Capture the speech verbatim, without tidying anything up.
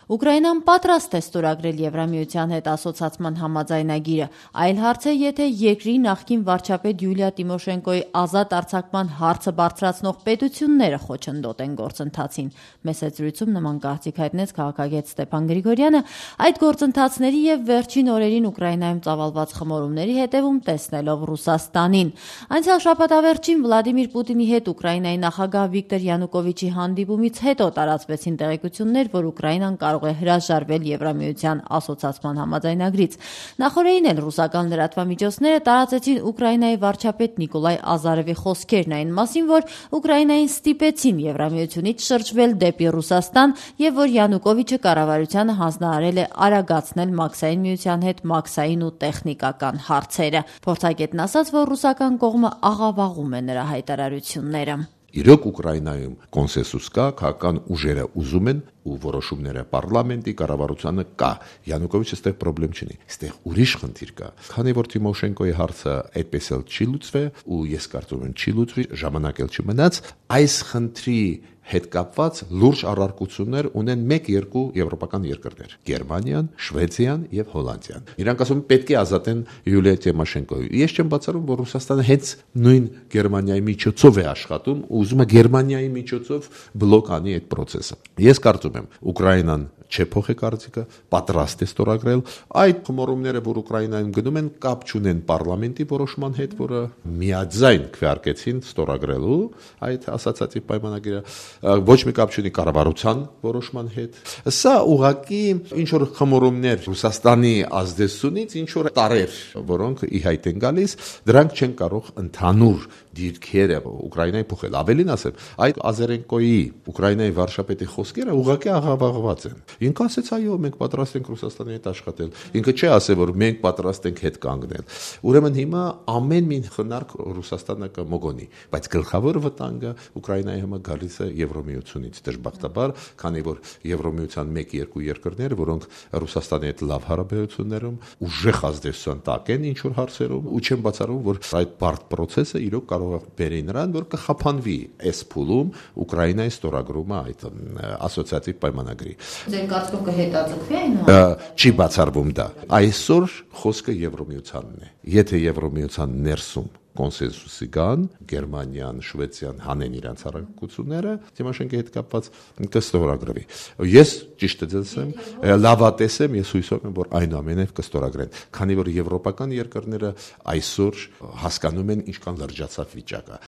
Ուկրաինան պատրաստ է ստորագրել Եվրամիության հետ ասոցացման համաձայնագիրը, այլ հարց է, եթե երկրի նախկին վարչապետ Յուլիա Տիմոշենկոյի ազատ արձակման հարցը բարձրացնող պետությունները խոչընդոտ են գործընթացին։ Մեծ զրույցում նման կարծիք հայտնեց քաղաքագետ Ստեփան Գրիգորյանը, այդ գործընթացների եւ վերջին օրերին Ուկրաինայում ծավալված խմորումների հետևում տեսնելով Ռուսաստանին։ Անցյալ շաբաթավերջին Վլադիմիր Պուտինի հետ Ուկրաինայի նախագահ Վիկտոր Յանուկովիչի հանդիպումից հետո տարածվեցին տեղեկություններ, որ Ուկրաինան կարող է հրաժարվել Եվրամիության ասոցացման համաձայնագրից։ Նախորդին էլ ռուսական լրատվամիջոցները տարածեցին Ուկրաինայի վարչապետ Նիկոլայ Ազարովի խոսքերն այն մասին, որ Ուկրաինային ստիպեցին Եվրամիությունից շրջվել դեպի Ռուսաստան եւ որ Յանուկովիչը կառավարությանը հանձնարարել է արագացնել Մաքսային միության հետ մաքսային ու տեխնիկական հարցերը։ Փորձագետն ասաց, որ ռուսական կողմը աղավաղում է նրա հայտարարությունները։ Իրոք Ուկրաինայում կոնսենսուս կա, քաղաքական ուժերը ուզում են ու որոշումները պարլամենտի կառավարությանը կա։ Յանուկովիչը այստեղ խնդրեմ չունի։ Այստեղ ուրիշ խնդիր կա։ Քանի որ Տիմոշենկոյի հարցը այդպես էլ չի լուծվել ու ես կարծում եմ չի լուծվի, ժամանակ էլ չմնաց, այս խնդրի հետ կապված լուրջ առարկություններ ունեն մեկ-երկու եվրոպական երկրներ՝ Գերմանիան, Շվեդիան եւ Հոլանդիան։ Իրանք ասում են պետք է ազատեն Յուլիա Տիմոշենկոյին։ Ես չեմ բացառում, որ Ռուսաստանը հենց նույն Գերմանիայի միջոցով է աշխատում ու ուզում է Գերմանիայի միջոցով բլոկ անի այդ process-ը։ Ես կարծում եմ, Ուկրաինան չէ փոխի կարծիքը, պատրաստ է ստորագրել այդ խմորումները, որ Ուկրաինայում գնում են, կապ չունեն պարլամենտի որոշման հետ, որը միաձայն քվեարկեցին ստորագրելու այդ ասացածի պայմանագիրը, ոչ մի կապ չունի կառավարության որոշման հետ։ Սա ուղղակի ինչ որ խմորումներ Ռուսաստանի ազդեցությունից ինչ որ տարեր, որոնք ի հայտ են գալիս, դրանք չեն կարող ընդհանուր դիրքերը Ուկրաինայի փոխել։ Ավելին ասեմ, այդ Ազարենկոյի Ուկրաինայի վարչապետի խոսքերը ուղղակի աղավաղված են։ Ինքը ասեց, այո, մենք պատրաստ ենք Ռուսաստանի հետ աշխատել։ Ինքը չի ասել, որ մենք պատրաստ ենք հետ կանգնել։ Ուրեմն հիմա ամեն մի խնարք Ռուսաստանը կմոգոնի, բայց գլխավոր վտանգը Ուկրաինայի համար գալիս է Եվրոմիությունից, դժբախտաբար, քանի որ Եվրոմիության մեկ-երկու երկրներ, որոնք Ռուսաստանի հետ լավ հարաբերություններում ուժեղ ազդեցության տակ են ինչ որ հարցերում, ու չեմ բացառում, որ այդ բարդ process-ը իրոք կարող է բերի նրան, որ կխափանվի այս փուլում Ուկրաինայի ստորագրումը այդ ասոցիատիվ պայմանագրի։ Ձեր կարծիքով կհետաձգվի այն։ Չի բացառվում դա։ Այսօր խոսքը Եվրոմիությանն է։ Եթե Եվրոմիության ներսում կոնսենսուսի կան, Գերմանիան, Շվեդիան հանեն իրենց առաքությունները, Տիմոշենկոյի հետ կապված կստորագրվի։ Ես ճիշտ եմ, լավատես եմ, ես հույսով եմ, որ այնուամենայնիվ կստորագրեն, քանի որ եվրոպական երկրները այսօր հասկանում են ինչքան լրջացավ վիճակը։